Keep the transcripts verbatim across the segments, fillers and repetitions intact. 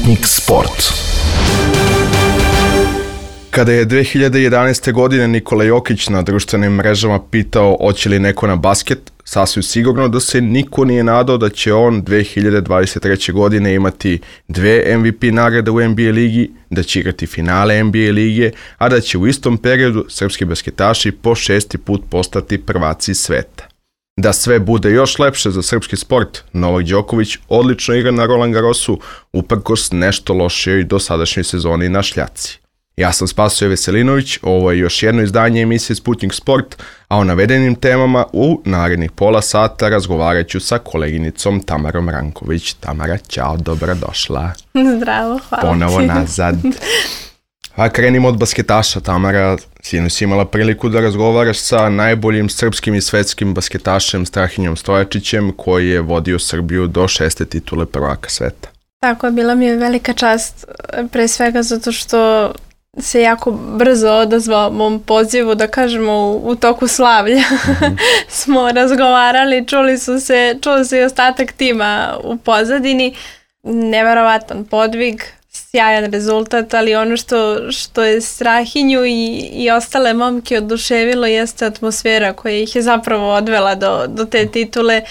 Sputnik Sport. Kada je dve hiljade jedanaeste. godine Nikola Jokić na društvenim mrežama pitao hoće li neko na basket, sasvim sigurno da se niko nije nadao da će on dve hiljade dvadeset treće. godine imati dve M V P nagrade u N B A ligi, da će igrati finale N B A lige, a da će u istom periodu srpski basketaši po šesti put postati prvaci sveta. Da sve bude još lepše za srpski sport, Novak Đoković odlično igra na Roland Garrosu, uprkos nešto lošijoj dosadašnjoj sezoni na šljaci. Ja sam Spasoje Veselinović, ovo je još jedno izdanje emisije Sputnik Sport, a o navedenim temama u narednih pola sata razgovarat ću sa koleginicom Tamarom Ranković. Tamara, ćao, dobrodošla. Zdravo, hvala. Ponovo nazad. A krenimo od basketaša, Tamara. Sinoć si imala priliku da razgovaraš sa najboljim srpskim i svetskim basketašem Strahinjom Stojačićem, koji je vodio Srbiju do šeste titule prvaka sveta. Tako, bila mi je velika čast, pre svega zato što se jako brzo odazvao mom pozivu, da kažemo u, u toku slavlja. Mm-hmm. Smo razgovarali, čuli su se, čuli se i ostatak tima u pozadini. Neverovatan podvig, sjajan rezultat, ali ono što, što je Strahinju i, i ostale momke oduševilo jeste atmosfera koja ih je zapravo odvela do, do te titule,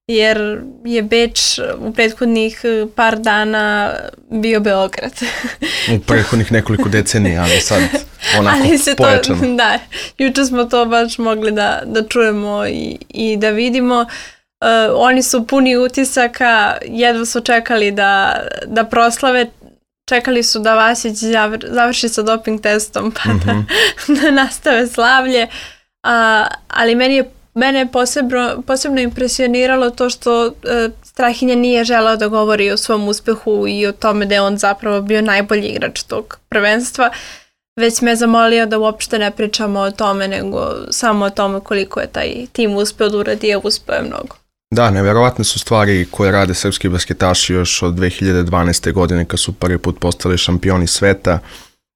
jer je Beč u prethodnih par dana bio Beograd. U prethodnih nekoliko decenija, ali sad onako ali se pojačano. To, da, juče smo to baš mogli da, da čujemo i, i da vidimo. Uh, oni su puni utisaka, jedva su čekali da, da proslave, čekali su da Vasić završi sa doping testom pa mm-hmm. da, da nastave slavlje, uh, ali meni je Mene je posebno, posebno impresioniralo to što e, Strahinja nije želeo da govori o svom uspehu i o tome da je on zapravo bio najbolji igrač tog prvenstva, već me zamolio da uopšte ne pričamo o tome, nego samo o tome koliko je taj tim uspeo da uradi, a uspeo je mnogo. Da, nevjerovatne su stvari koje rade srpski basketaši još od dve hiljade dvanaeste. godine kad su prvi put postali šampioni sveta.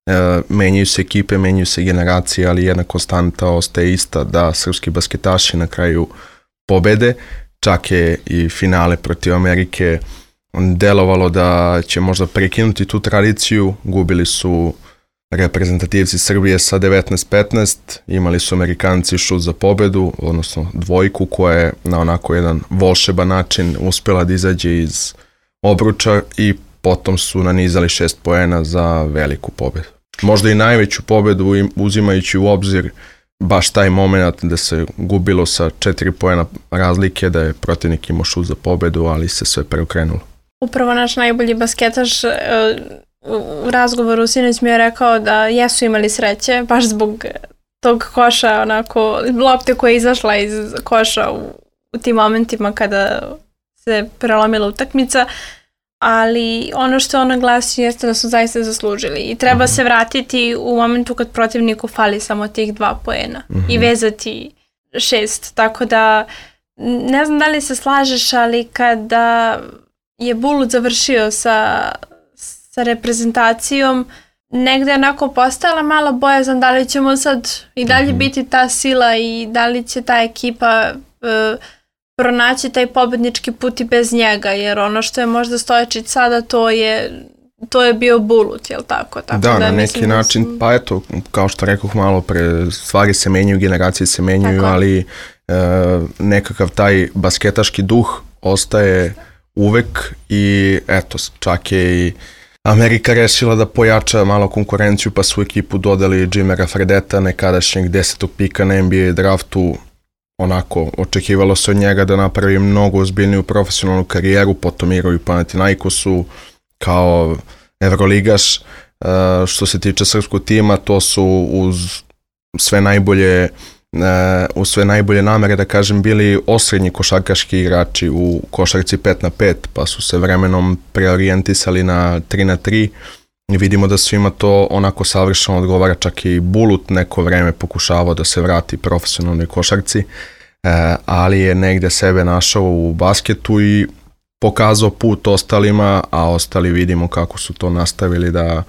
E, menjaju se ekipe, menjaju se generacije, ali jedna konstanta ostaje ista, da srpski basketaši na kraju pobede. Čak je i finale protiv Amerike delovalo da će možda prekinuti tu tradiciju. Gubili su reprezentativci Srbije sa devetnaest petnaest, imali su Amerikanci šut za pobedu, odnosno dvojku koja je na onako jedan volšeban način uspjela da izađe iz obruča i potom su nanizali šest poena za veliku pobedu. Možda i najveću pobedu, uzimajući u obzir baš taj moment da se gubilo sa četiri poena razlike, da je protivnik imao šut za pobedu, ali se sve preokrenulo. Upravo naš najbolji basketaš u razgovoru sinoć mi je rekao da jesu imali sreće, baš zbog tog koša, onako, lopte koja je izašla iz koša u, u tim momentima kada se prelomila utakmica, ali ono što on naglasi jeste da su zaista zaslužili i treba mm-hmm. se vratiti u momentu kad protivniku fali samo tih dva poena mm-hmm. i vezati šest, tako da ne znam da li se slažeš, ali kada je Bulut završio sa, sa reprezentacijom, negde onako postajala malo bojazan da li ćemo sad i dalje mm-hmm. biti ta sila i da li će ta ekipa uh, pronaći taj pobednički put i bez njega, jer ono što je možda Stojačić sada, to je to je bio Bulut, jel tako? Tako da, da, na neki način, sam... pa eto, kao što rekoh malo pre, stvari se menjaju, generacije se menjaju, tako. ali e, nekakav taj basketaški duh ostaje uvek i eto, čak je i Amerika rešila da pojača malo konkurenciju, pa su ekipu dodali Jimera Fredeta, nekadašnjeg desetog pika na N B A draftu. Onako, očekivalo se od njega da napravi mnogo ozbiljniju profesionalnu karijeru, potom igraju u Panathinaikosu kao Evroligaš. E, što se tiče srpskog tima, to su uz sve najbolje, e, uz sve najbolje namere, da kažem, bili osrednji košarkaški igrači u košarci pet na pet, pa su se vremenom preorijentisali na tri na tri. I vidimo da svima to onako savršeno odgovara, čak i Bulut neko vreme pokušavao da se vrati profesionalnoj košarci, e, ali je negde sebe našao u basketu i pokazao put ostalima, a ostali vidimo kako su to nastavili da,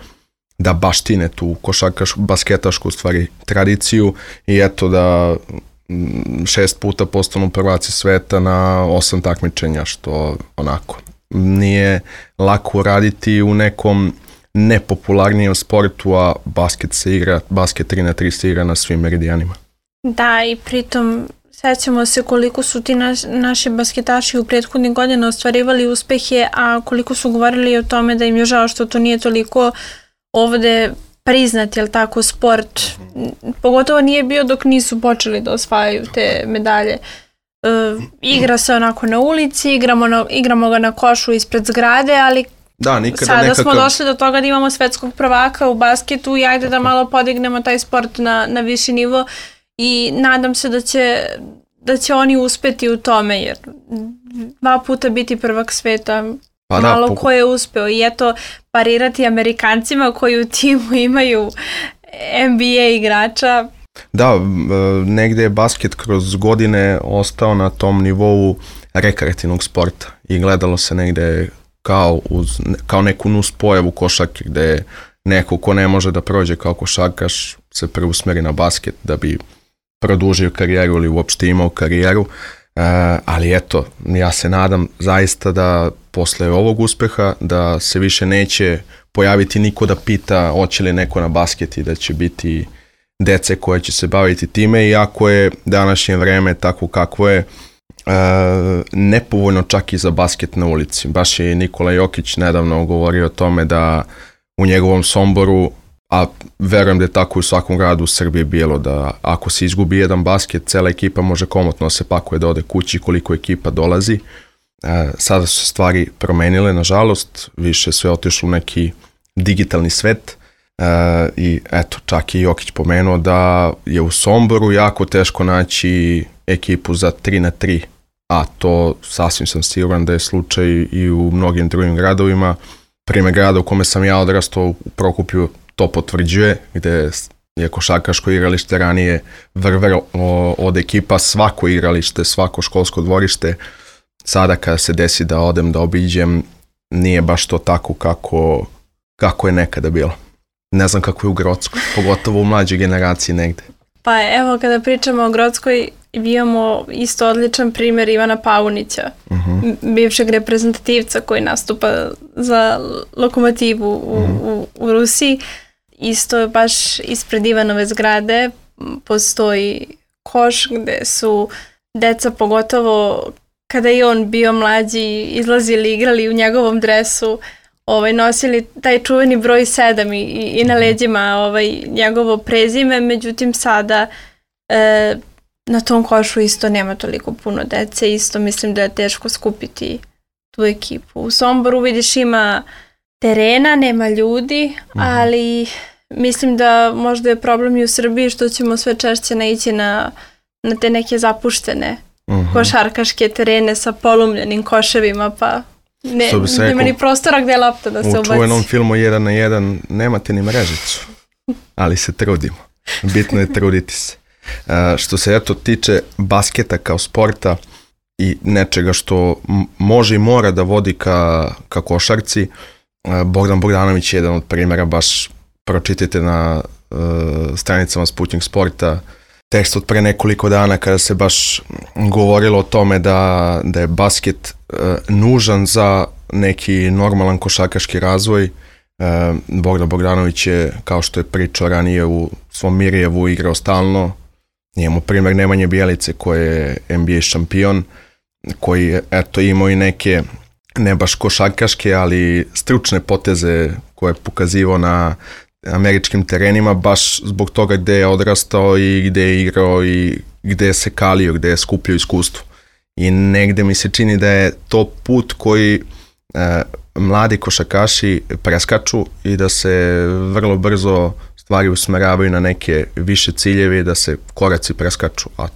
da baštine tu košarkašku, basketašku stvari tradiciju i eto da šest puta postanu prvaci sveta na osam takmičenja, što onako nije lako uraditi u nekom nepopularnijem sportu, a basket se igra, basket tri na tri se igra na svim meridijanima. Da, i pritom sećamo se koliko su ti naš, naši basketaši u prethodnih godina ostvarivali uspehe, a koliko su govorili o tome da im je žao što to nije toliko ovde priznat, jel tako, sport. Pogotovo nije bio dok nisu počeli da osvajaju te medalje. E, igra se onako na ulici, igramo, na, igramo ga na košu ispred zgrade, ali da, nikada sada nekakav... smo došli do toga da imamo svetskog prvaka u basketu i ajde da malo podignemo taj sport na, na viši nivo i nadam se da će, da će oni uspeti u tome, jer dva puta biti prvak sveta, pa malo da, po... ko je uspeo i eto parirati Amerikancima koji u timu imaju N B A igrača. Da, negde je basket kroz godine ostao na tom nivou rekreativnog sporta i gledalo se negde kao, uz, kao neku nus pojavu košarke gde neko ko ne može da prođe kao košarkaš se preusmeri na basket da bi produžio karijeru ili uopšte imao karijeru. Uh, ali eto, ja se nadam zaista da posle ovog uspeha da se više neće pojaviti niko da pita hoće li neko na basket i da će biti dece koje će se baviti time, iako je današnje vreme tako kakvo je, uh, nepovoljno čak i za basket na ulici. Baš je Nikola Jokić nedavno govorio o tome da u njegovom Somboru, a verujem da je tako u svakom gradu u Srbiji bilo, da ako se izgubi jedan basket, cela ekipa može komotno se pakuje da ode kući koliko ekipa dolazi. E, sada su se stvari promenile, nažalost, više sve otišlo u neki digitalni svet e, i eto, čak i Jokić pomenuo da je u Somboru jako teško naći ekipu za tri na tri, a to sasvim sam siguran da je slučaj i u mnogim drugim gradovima. Primer grada u kome sam ja odrastao u Prokuplju to potvrđuje, gde je košarkaško igralište ranije vrvelo od ekipa, svako igralište, svako školsko dvorište. Sada kada se desi da odem da obiđem, nije baš to tako kako, kako je nekada bilo. Ne znam kako je u Grockoj, pogotovo u mlađoj generaciji negde. Pa evo, kada pričamo o Grockoj, imamo isto odličan primjer Ivana Paunića, uh-huh. bivšeg reprezentativca koji nastupa za Lokomotivu u, uh-huh. u, u Rusiji. Isto baš ispred Ivanove zgrade postoji koš gde su deca, pogotovo kada je on bio mlađi, izlazili, igrali u njegovom dresu, ovaj, nosili taj čuveni broj sedam i, i na leđima ovaj, njegovo prezime, međutim sada e, na tom košu isto nema toliko puno dece, isto mislim da je teško skupiti tu ekipu. U Somboru vidiš ima terena, nema ljudi, ali mislim da možda je problem i u Srbiji što ćemo sve češće naići na, na te neke zapuštene uh-huh. košarkaške terene sa polumljenim koševima, pa ne, nema ni prostora gde je lopta da se ubaci. U čuvenom filmu jedan na jedan nemate ni mrežicu, ali se trudimo. Bitno je truditi se. Uh, što se eto tiče basketa kao sporta i nečega što m- može i mora da vodi ka, ka košarci, uh, Bogdan Bogdanović je jedan od primjera, baš pročitajte na uh, stranicama Sputnik Sporta tekst od pre nekoliko dana kada se baš govorilo o tome da, da je basket uh, nužan za neki normalan košarkaški razvoj. Uh, Bogdan Bogdanović je, kao što je pričao ranije, u svom Mirjevu igrao stalno. Imamo primjer Nemanje Bjelice koji je N B A šampion, koji je eto imao i neke, ne baš košarkaške, ali stručne poteze koje je pokazivao na američkim terenima, baš zbog toga gde je odrastao i gde je igrao i gde je se kalio, gde je skupljao iskustvo. I negde mi se čini da je to put koji e, mladi košarkaši preskaču i da se vrlo brzo stvari usmeravaju na neke više ciljeve, da se koraci preskaču, a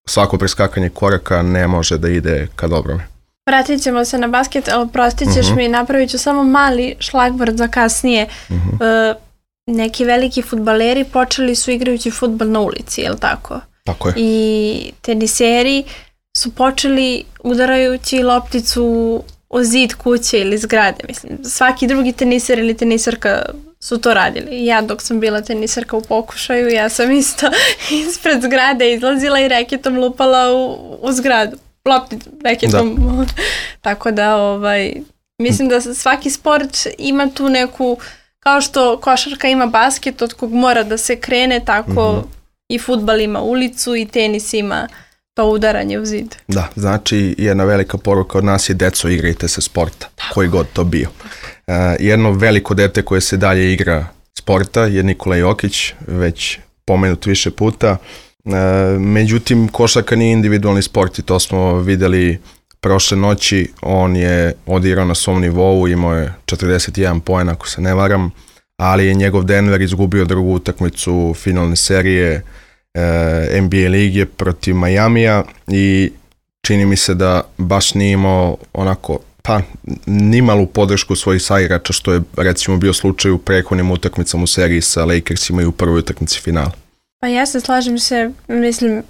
svako preskakanje koraka ne može da ide ka dobrome. Vratit ćemo se na basket, ali prostit ćeš uh-huh. mi, napravit ću samo mali šlagvord za kasnije. Uh-huh. Uh, neki veliki fudbaleri počeli su igrajući fudbal na ulici, je li tako? Tako je. I teniseri su počeli udarajući lopticu o zid kuće ili zgrade. Mislim, svaki drugi teniser ili tenisarka su to radili. Ja dok sam bila tenisarka u pokušaju, ja sam isto ispred zgrade izlazila i reketom lupala u, u zgradu. Lopticu, reketom. Da. Tako da ovaj, Mislim da svaki sport ima tu neku, kao što košarka ima basket od kog mora da se krene, tako mm-hmm. i fudbal ima ulicu i tenis ima to udaranje u zid. Da, znači jedna velika poruka od nas je deco, igrajte se sporta, tako. Koji god to bio. Uh, jedno veliko dete koje se dalje igra sporta je Nikola Jokić, već pomenut više puta. Uh, međutim, košarka nije individualni sport i to smo videli prošle noći. On je odigrao na svom nivou, imao je četrdeset jedan poen ako se ne varam, ali je njegov Denver izgubio drugu utakmicu finalne serije N B A lige protiv Majamija i čini mi se da baš nije imao onako, pa nimalu podršku svojih saigrača, što je recimo bio slučaj u prethodnim utakmicama u seriji sa Lakersima i u prvoj utakmici finala. Pa ja se slažem se, mislim,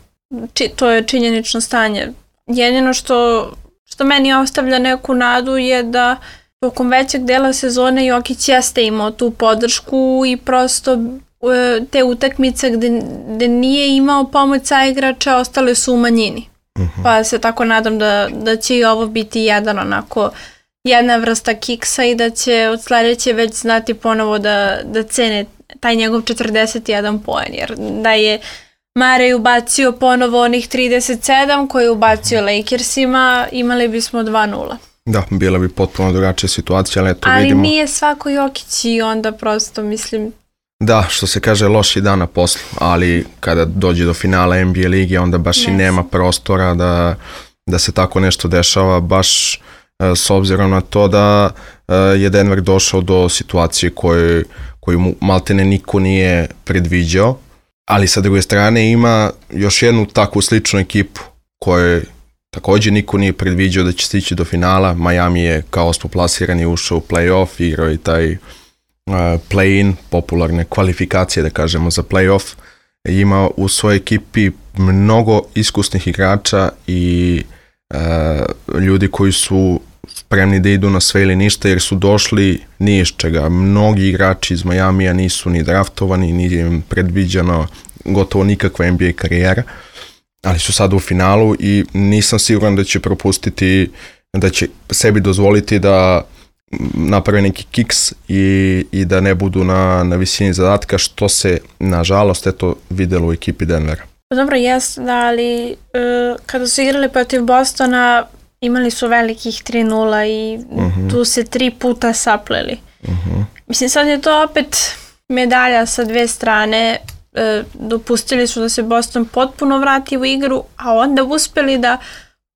či, to je činjenično stanje. Jedino što, što meni ostavlja neku nadu je da tokom većeg dela sezone Jokić jeste imao tu podršku i prosto te utakmice gde, gde nije imao pomoć saigrača ostale su u manjini. Uh-huh. Pa se tako nadam da, da će i ovo biti jedan onako jedna vrsta kiksa i da će od sledeće već znati ponovo da, da cene taj njegov četrdeset jedan poen, jer da je Mare ubacio ponovo onih trideset sedam koje je ubacio Lakersima, imali bismo dva nula. Da, bila bi potpuno drugačija situacija, ali eto ali vidimo. Ali nije svako Jokić i onda prosto mislim... Da, što se kaže, loši dan na poslu, ali kada dođe do finala N B A lige, onda baš yes. i nema prostora da, da se tako nešto dešava, baš uh, s obzirom na to da uh, je Denver došao do situacije koju, koju mu maltene niko nije predviđao, ali sa druge strane ima još jednu takvu sličnu ekipu koju također niko nije predviđao da će stići do finala. Miami je kao osmoplasirani ušao u play-off, igrao i taj uh, play-in, popularne kvalifikacije da kažemo za play-off. Ima u svojoj ekipi mnogo iskusnih igrača i uh, ljudi koji su spremni da idu na sve ili ništa jer su došli ni iz čega. Mnogi igrači iz Majamija nisu ni draftovani, ni im predviđeno gotovo nikakva N B A karijera, ali su sad u finalu i nisam siguran da će propustiti, da će sebi dozvoliti da naprave neki kiks i, i da ne budu na, na visini zadatka, što se nažalost eto videlo u ekipi Denvera. Dobro, jes, da, ali uh, kada su igrali protiv Bostona imali su velikih tri nula i uh-huh. tu se tri puta sapleli. Uh-huh. Mislim, sad je to opet medalja sa dve strane. E, dopustili su da se Boston potpuno vrati u igru, a onda uspeli da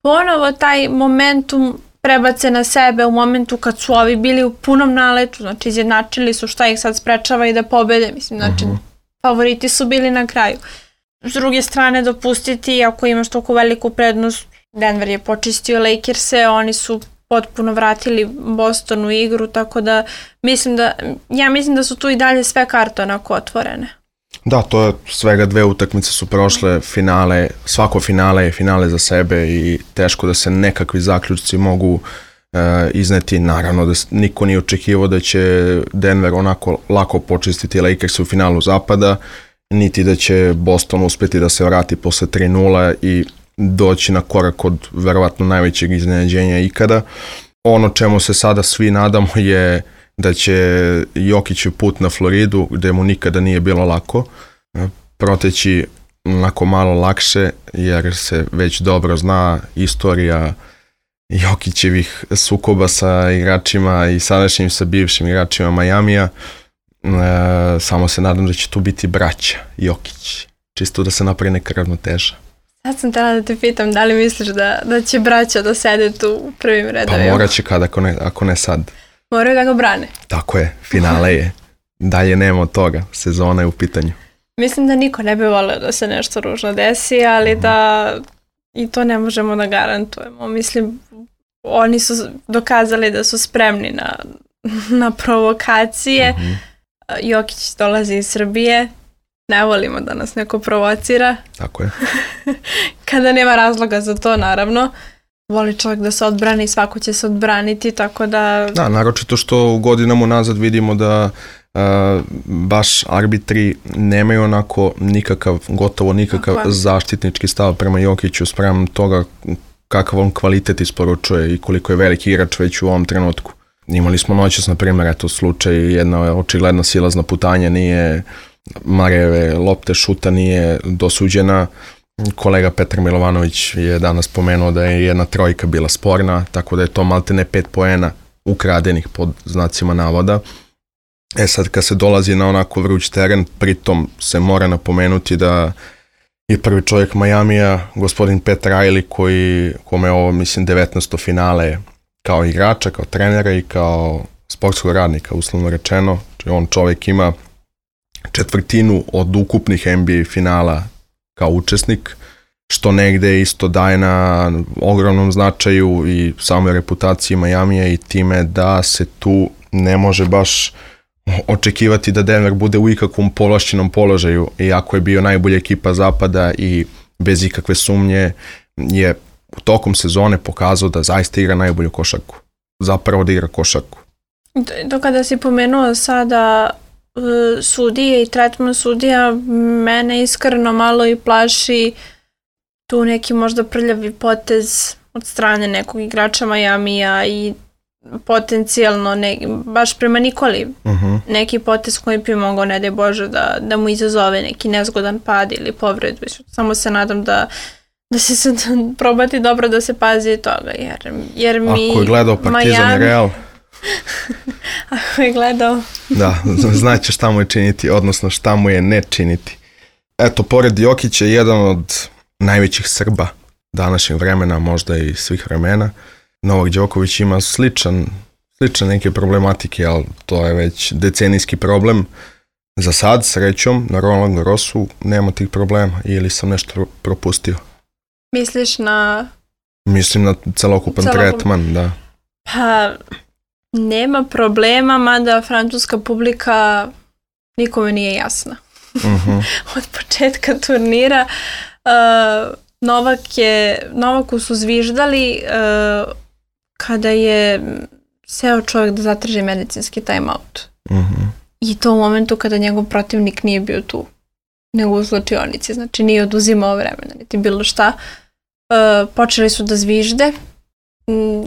ponovo taj momentum prebace na sebe u momentu kad su ovi bili u punom naletu, znači izjednačili su šta ih sad sprečava i da pobede, mislim, znači uh-huh. favoriti su bili na kraju. S druge strane, dopustiti, ako imaš toliko veliku prednost, Denver je počistio Lakerse, oni su potpuno vratili Boston u igru, tako da mislim da, ja mislim da su tu i dalje sve karte onako otvorene. Da, to je svega dve utakmice su prošle, finale, svako finale je finale za sebe i teško da se nekakvi zaključci mogu e, izneti. Naravno da niko nije očekivao da će Denver onako lako počistiti Lakers u finalu zapada, niti da će Boston uspjeti da se vrati posle tri nula i doći na korak od verovatno najvećeg iznenađenja ikada. Ono čemu se sada svi nadamo je da će Jokićev put na Floridu, gde mu nikada nije bilo lako, proteći onako malo lakše, jer se već dobro zna istorija Jokićevih sukoba sa igračima i sadašnjim sa bivšim igračima Majamija. E, samo se nadam da će tu biti braća Jokić, čisto da se napravi neka ravnoteža. Sad sam htjela da te pitam, da li misliš da, da će braća da sede tu u prvim redovima? Pa morat će kad, ako ne, ako ne sad. Moraju da ga brane. Tako je, finale je. Dalje nema od toga, sezona je u pitanju. Mislim da niko ne bi volio da se nešto ružno desi, ali mm. da i to ne možemo da garantujemo. Mislim, oni su dokazali da su spremni na, na provokacije. Mm-hmm. Jokić dolazi iz Srbije. Ne volimo da nas neko provocira. Tako je. Kada nema razloga za to, naravno. Voli čovjek da se odbrani, svako će se odbraniti, tako da... Da, naročito što godinama nazad vidimo da uh, baš arbitri nemaju onako nikakav, gotovo nikakav tako zaštitnički stav prema Jokiću spram toga kakav on kvalitet isporučuje i koliko je veliki igrač već u ovom trenutku. imali smo noćas, na primjer, eto slučaj, jedna očigledna silazna putanja nije, Mareve lopte šuta nije dosuđena. Kolega Petar Milovanović je danas spomenuo da je jedna trojka bila sporna, tako da je to maltene pet poena ukradenih pod znacima navoda. E sad, kad se dolazi na onako vruć teren, pritom se mora napomenuti da je prvi čovjek Majamija, gospodin Pat Riley, koji, kome je ovo, mislim, devetnaesto finale kao igrača, kao trenera i kao sportskog radnika, uslovno rečeno. Znači, on čovjek ima četvrtinu od ukupnih N B A finala kao učesnik, što negde isto daje na ogromnom značaju i samoj reputaciji Majamija i time da se tu ne može baš očekivati da Denver bude u ikakvom povlašćenom položaju, iako je bio najbolja ekipa zapada i bez ikakve sumnje je u tokom sezone pokazao da zaista igra najbolju košarku. Zapravo da igra košarku. Do kada si pomenuo sada uh, sudije i tretman sudija, mene iskreno malo i plaši tu neki možda prljavi potez od strane nekog igrača Majamija i potencijalno ne, baš prema Nikoli uh-huh. neki potez koji bi mogao, ne daj Bože, da, da mu izazove neki nezgodan pad ili povredu. Samo se nadam da da se sad probati dobro da se pazi toga, jer, jer mi ako je gledao Partizan Miami, Real ako je gledao da, znaće šta mu je činiti, odnosno šta mu je ne činiti. Eto, pored Jokića je jedan od najvećih Srba današnjeg vremena, možda i svih vremena. Novak Đoković ima sličan, sličan neke problematike, ali to je već decenijski problem. Za sad, srećom, na Roland Garrosu nema tih problema, ili sam nešto propustio. Misliš na... Mislim na celokupan celokup... tretman, da. Pa, nema problema, mada francuska publika nikome nije jasna. Uh-huh. Od početka turnira uh, Novak je, Novaku su zviždali uh, kada je seo čovjek da zatraži medicinski timeout. Uh-huh. I to u momentu kada njegov protivnik nije bio tu, nego u zločionici, znači nije oduzimao vremena, niti bilo šta. Uh, počeli su da zvižde,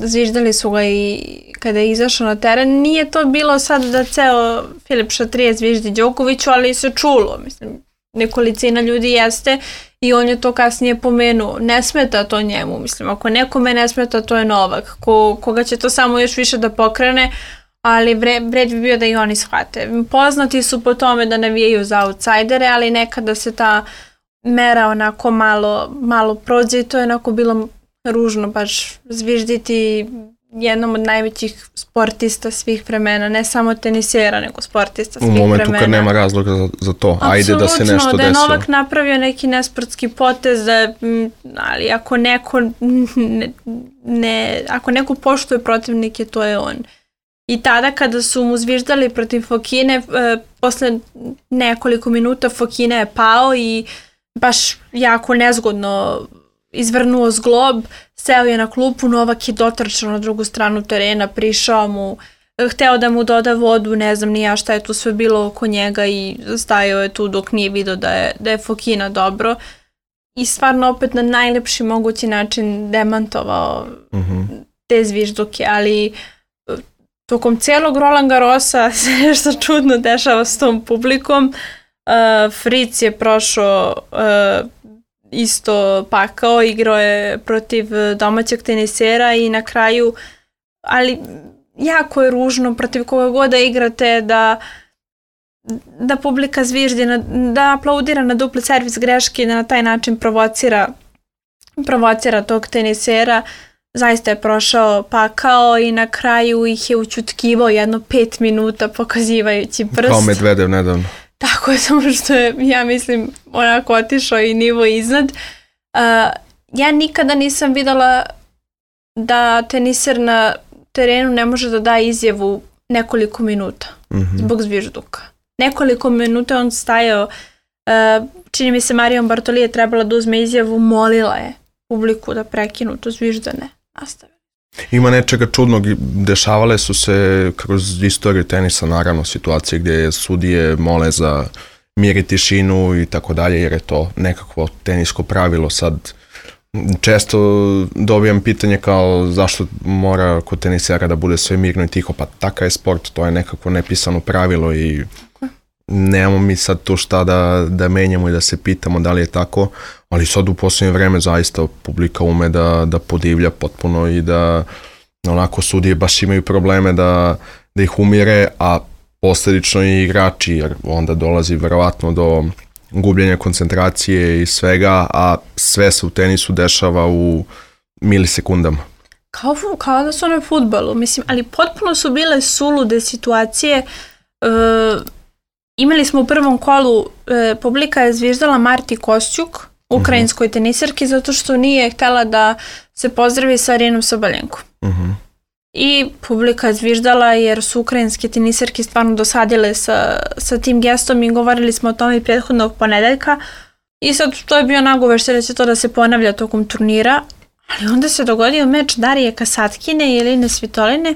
zviždali su ga i kada je izašao na teren. Nije to bilo sad da ceo Filip Šatrije zviždi Đokoviću, ali se čulo, mislim, nekolicina ljudi jeste i on je to kasnije pomenuo. Ne smeta to njemu, mislim, ako nekome ne smeta, to je Novak, ko, koga će to samo još više da pokrene, ali vred bi bio da i oni shvate. Poznati su po tome da navijaju za outsidere, ali nekada se ta mera onako malo, malo prođe i to je onako bilo ružno baš zvižditi jednom od najvećih sportista svih vremena, ne samo tenisera, nego sportista svih vremena. U momentu vremena. Kad nema razloga za, za to, apsolutno, ajde da se nešto desilo. Da je Novak napravio neki nesportski potez, da, ali ako neko ne, ne, ako neko poštuje protivnike, to je on. I tada kada su mu zviždali protiv Fokine, e, posle nekoliko minuta Fokina je pao i baš jako nezgodno izvrnuo zglob, seo je na klupu, Novak je dotrčao na drugu stranu terena, prišao mu, hteo da mu doda vodu, ne znam ni ja šta je tu sve bilo oko njega i stajao je tu dok nije vidio da je, da je Fokina dobro i stvarno opet na najlepši mogući način demantovao uh-huh. te zvižduke, ali tokom cijelog Roland Garrosa se nešto čudno dešava s tom publikom. Uh, Fritz je prošao uh, isto pakao, igrao je protiv domaćeg tenisera i na kraju, ali jako je ružno protiv koga god da igrate da da publika zviždi, da aplaudira na dupli servis greške, da na taj način provocira provocira tog tenisera. Zaista je prošao pakao i na kraju ih je učutkivao jedno pet minuta pokazivajući prst. Kao Medvedev nedavno. Tako je, samo što je, ja mislim, onako otišao i nivo iznad. Uh, ja nikada nisam videla da teniser na terenu ne može da da izjavu nekoliko minuta mm-hmm. zbog zvižduka. Nekoliko minuta on stajao, uh, čini mi se Marion Bartoli je trebala da uzme izjavu, molila je publiku da prekinu to zviždane. Nastavi. Ima nečega čudnog, dešavale su se kroz istoriju tenisa naravno situacije gdje sudije mole za mir i tišinu i tako dalje, jer je to nekakvo tenisko pravilo. Sad Često dobijam pitanje kao zašto mora kod tenisera da bude sve mirno i tiho, pa takav je sport, to je nekako nepisano pravilo i nemamo mi sad to šta da, da menjamo i da se pitamo da li je tako, ali sad u posljednje vreme zaista publika ume da, da podivlja potpuno i da onako sudije baš imaju probleme da, da ih umire, a posljedično i igrači, jer onda dolazi verovatno do gubljenja koncentracije i svega, a sve se u tenisu dešava u milisekundama. Kao, kao da su ono fudbalu, mislim, ali potpuno su bile sulude situacije. E, imali smo u prvom kolu, e, publika je zviždala Marti Kostjuk, ukrajinskoj uh-huh. teniserki, zato što nije htjela da se pozdravi sa Arenom Sabalenkom. Uh-huh. I publika je zviždala jer su ukrajinske teniserke stvarno dosadile sa, sa tim gestom i govorili smo o tome i prethodnog ponedeljka. I sad to je bio nagovor da će to da se ponavlja tokom turnira, ali onda se dogodio meč Darije Kasatkine i Eline Svitoline.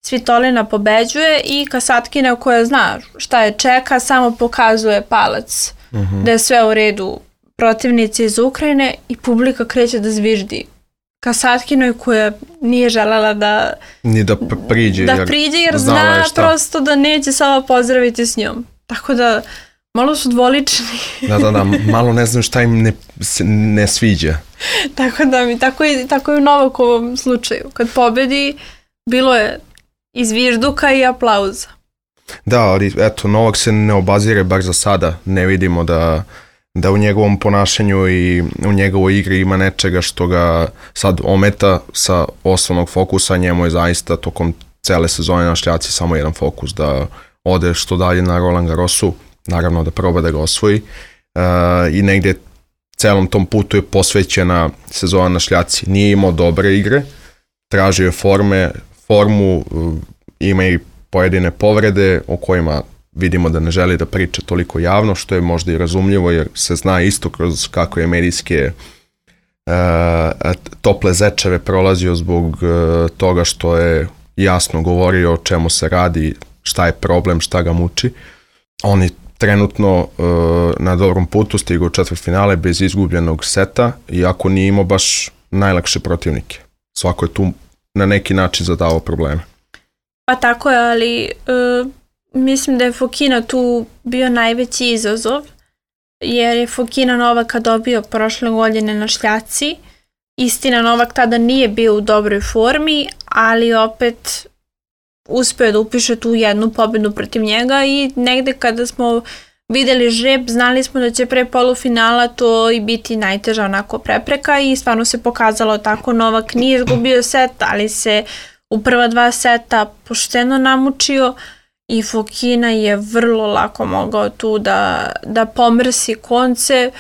Svitolina pobeđuje i Kasatkina koja zna šta je čeka, samo pokazuje palac uh-huh. da je sve u redu protivnici iz Ukrajine i publika kreće da zviždi Kasatkinoj koja nije želela da ni da priđe, da jer, priđe jer zna prosto da neće samo pozdraviti s njom. Tako da malo su dvolični. Da, da, da, malo ne znam šta im ne, ne sviđa. Tako da mi, tako i, tako i u Novakovom slučaju. Kad pobedi, bilo je izvižduka i aplauza. Da, ali eto, Novak se ne obazire, bar za sada. Ne vidimo da da u njegovom ponašanju i u njegovoj igri ima nečega što ga sad ometa sa osnovnog fokusa. Njemu je zaista tokom cele sezone na šljaci samo jedan fokus, da ode što dalje na Roland Garrosu, naravno da proba da ga osvoji. E, i negdje celom tom putu je posvećena sezona na šljaci. Nije imao dobre igre, tražio je forme, formu, ima i pojedine povrede o kojima vidimo da ne želi da priča toliko javno, što je možda i razumljivo, jer se zna isto kroz kako je medijske uh, tople zečeve prolazio zbog uh, toga što je jasno govorio o čemu se radi, šta je problem, šta ga muči. On je trenutno uh, na dobrom putu, stigao u četvrtfinale bez izgubljenog seta, iako nije imao baš najlakše protivnike. Svako je tu na neki način zadao probleme. Pa tako je, ali uh... mislim da je Fokina tu bio najveći izazov, jer je Fokina Novaka dobio prošle godine na šljaci. Istina, Novak tada nije bio u dobroj formi, ali opet uspio da upiše tu jednu pobedu protiv njega i negde kada smo videli žreb, znali smo da će pre polufinala to i biti najteža onako prepreka i stvarno se pokazalo tako. Novak nije izgubio set, ali se u prva dva seta pošteno namučio. I Fokina je vrlo lako mogao tu da, da pomrsi konce.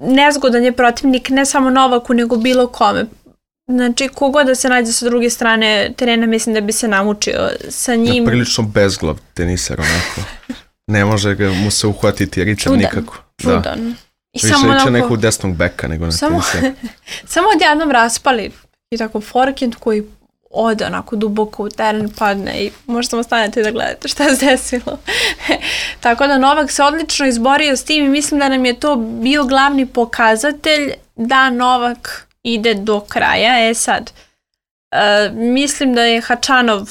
Nezgodan je protivnik ne samo Novaku, nego bilo kome. Znači, kogod da se nađe sa druge strane terena, mislim da bi se namučio sa njim. Ja, prilično bezglav teniser, onako. Ne može ga mu se uhvatiti ritem čudan, nikako. Čudan. Da. I više samo liče onako, nekog desnog beka nego na samo, teniser. Samo odjednom raspali i tako forehand koji ode onako duboko u teren, padne i možda samo stanete da gledate šta se desilo. Tako da Novak se odlično izborio s tim i mislim da nam je to bio glavni pokazatelj da Novak ide do kraja. E sad, e, mislim da je Hačanov,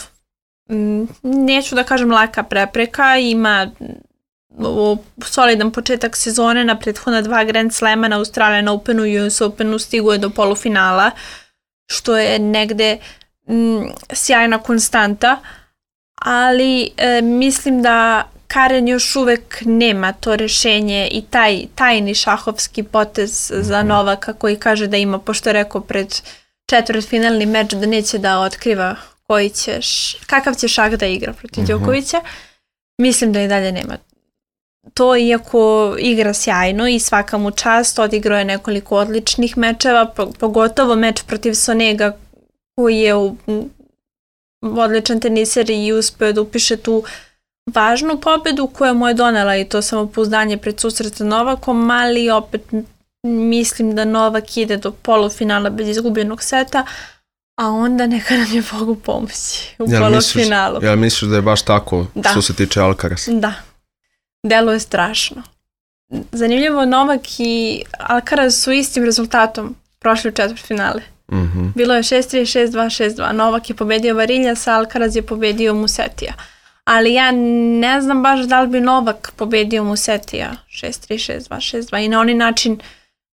m, neću da kažem laka prepreka, ima o, solidan početak sezone na prethodna dva Grand Slema na Australian Openu i U S Openu, stigo je do polufinala, što je negde Mm, sjajna konstanta, ali e, mislim da Karen još uvek nema to rešenje i taj tajni šahovski potez za Novaka koji kaže da ima, pošto je rekao pred četvrtfinalni meč da neće da otkriva koji će, kakav će šah da igra protiv uh-huh. Đokovića. Mislim da i dalje nema to, iako igra sjajno i svaka mu čast, odigrao je nekoliko odličnih mečeva, pogotovo meč protiv Sonega koji je u, odličan teniser i uspeo da upiše tu važnu pobedu koja mu je donela i to samopouzdanje pred susret sa Novakom, ali opet mislim da Novak ide do polufinala bez izgubljenog seta, a onda neka nam je Bogu pomoći u jel polufinalu. Misliš, jel misliš da je baš tako da. Što se tiče Alcaraz? Da, deluje strašno. Zanimljivo, Novak i Alcaraz su istim rezultatom prošli u četvrtfinale. Mm-hmm. Bilo je šest tri, šest dva, šest dva. Novak je pobedio Variljasa, Alcaraz je pobedio Musetija. Ali ja ne znam baš da li bi Novak pobedio Musetija šest tri, šest dva, šest dva. I na onaj način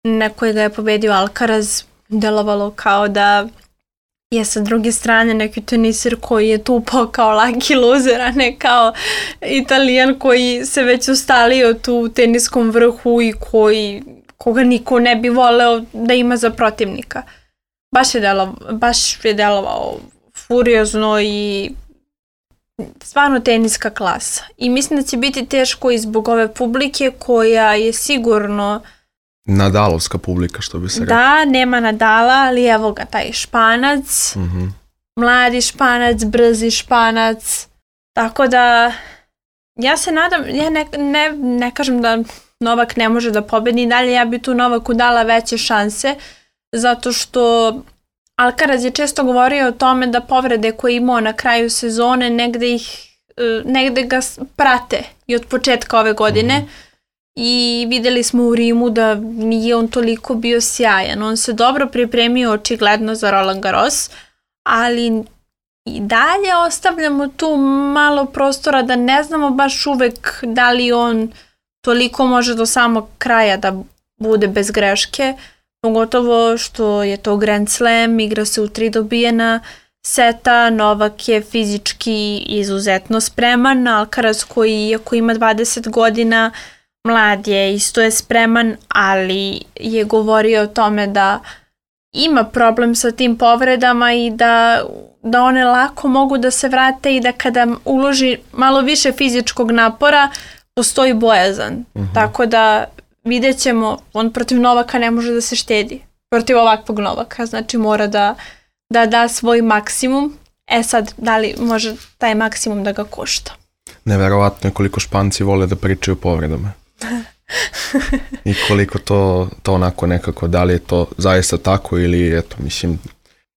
na koji ga je pobedio Alcaraz delovalo kao da je sa druge strane neki teniser koji je tupao kao lucky loser, a ne kao Italijan koji se već ustalio tu u teniskom vrhu i koji, koga niko ne bi voleo da ima za protivnika. Baš je delovao, baš je delovao furiozno i stvarno teniska klasa. I mislim da će biti teško i zbog ove publike koja je sigurno Nadalovska publika, što bi se rekao. Da, nema Nadala, ali evo ga, taj Španac, Mm-hmm. mladi Španac, brzi Španac. Tako da, ja se nadam, ja ne, ne, ne kažem da Novak ne može da pobedi dalje, ja bi tu Novaku dala veće šanse, zato što Alcaraz je često govorio o tome da povrede koje je imao na kraju sezone negde, ih, negde ga prate i od početka ove godine. Mm-hmm. I videli smo u Rimu da nije on toliko bio sjajan. On se dobro pripremio očigledno za Roland Garros, ali i dalje ostavljamo tu malo prostora da ne znamo baš uvek da li on toliko može do samog kraja da bude bez greške, pogotovo što je to Grand Slam, igra se u tri dobijena seta, Novak je fizički izuzetno spreman, Alcaraz koji iako ima dvadeset godina, mlad je, isto je spreman, ali je govorio o tome da ima problem sa tim povredama i da, da one lako mogu da se vrate i da kada uloži malo više fizičkog napora postoji bojazan. Uh-huh. Tako da vidjet ćemo, on protiv Novaka ne može da se štedi. Protiv ovakvog Novaka, znači mora da da da svoj maksimum. E sad, da li može taj maksimum da ga košta? Neverovatno je koliko Španci vole da pričaju o povredama. I koliko to, to onako nekako, da li je to zaista tako ili eto, mislim,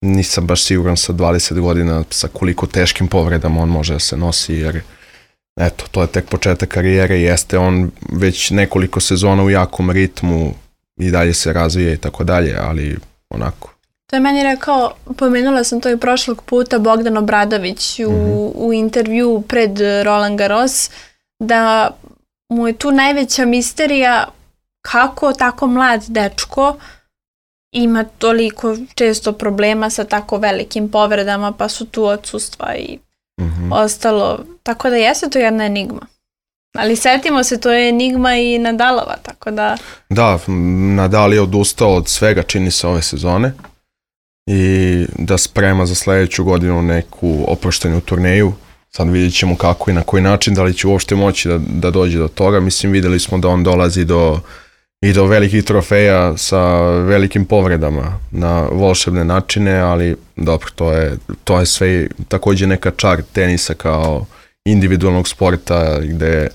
nisam baš siguran sa dvadeset godina sa koliko teškim povredama on može da se nosi, jer eto, to je tek početak karijere, jeste on već nekoliko sezona u jakom ritmu i dalje se razvija i tako dalje, ali onako. To je meni rekao, pomenula sam to i prošlog puta, Bogdan Obradović u, mm-hmm. u intervju pred Roland Garros, da mu je tu najveća misterija kako tako mlad dečko ima toliko često problema sa tako velikim povredama, pa su tu odsustva i mm-hmm. ostalo. Tako da jeste to jedna enigma. Ali setimo se, to je enigma i Nadalova, tako da... Da, Nadal je odustao od svega, čini se, ove sezone i da sprema za sljedeću godinu neku oproštenu turneju. Sad vidjet ćemo kako i na koji način, da li će uopšte moći da, da dođe do toga. Mislim, videli smo da on dolazi do, i do velikih trofeja sa velikim povredama na volšebne načine, ali dobro, to je, to je sve također neka čar tenisa kao individualnog sporta gde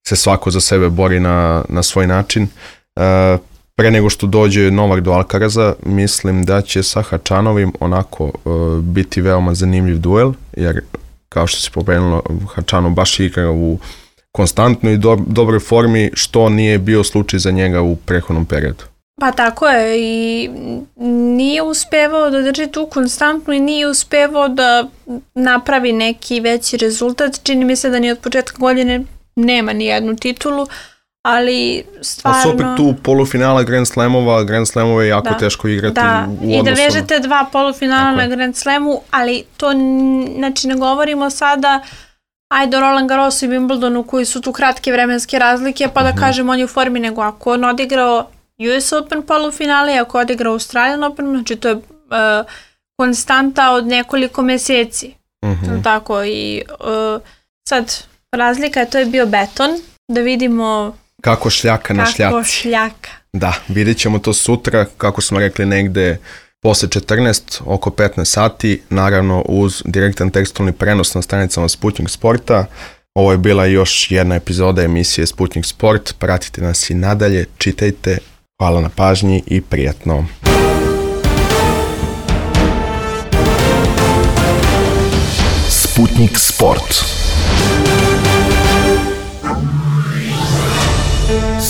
se svako za sebe bori na, na svoj način. E, pre nego što dođe Novak do Alcaraza, mislim da će sa Hačanovim onako e, biti veoma zanimljiv duel, jer kao što se pomenulo, Hačanov baš igra u konstantnoj i do, dobroj formi, što nije bio slučaj za njega u prethodnom periodu. Pa tako je, i nije uspevao da drži tu konstantnu i nije uspevao da napravi neki veći rezultat. Čini mi se da ni od početka godine nema ni jednu titulu, ali stvarno... Ali su opet tu polufinala Grand Slamova, Grand Slamove je jako da, teško igrati da. u odnosu. I da vežete dva polufinala na Grand Slamu, ali to, znači ne govorimo sada ajde o Roland Garrosu i Wimbledonu koji su tu kratke vremenske razlike, pa da uh-huh. kažem on je u formi, nego ako on odigrao U S Open polufinale, ako odigrao Australian Open, znači to je uh, konstanta od nekoliko meseci. Uh-huh. Tako i uh, sad razlika je, to je bio beton, da vidimo kako šljaka na šljaci. Kako šljaka. Da, vidjet ćemo to sutra, kako smo rekli, negde posle četrnaest, oko petnaest sati, naravno uz direktan tekstualni prenos na stranicama Sputnik Sporta. Ovo je bila još jedna epizoda emisije Sputnik Sport, pratite nas i nadalje, čitajte, hvala na pažnji i prijatno. Sputnik Sport.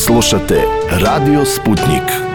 Slušate Radio Sputnik.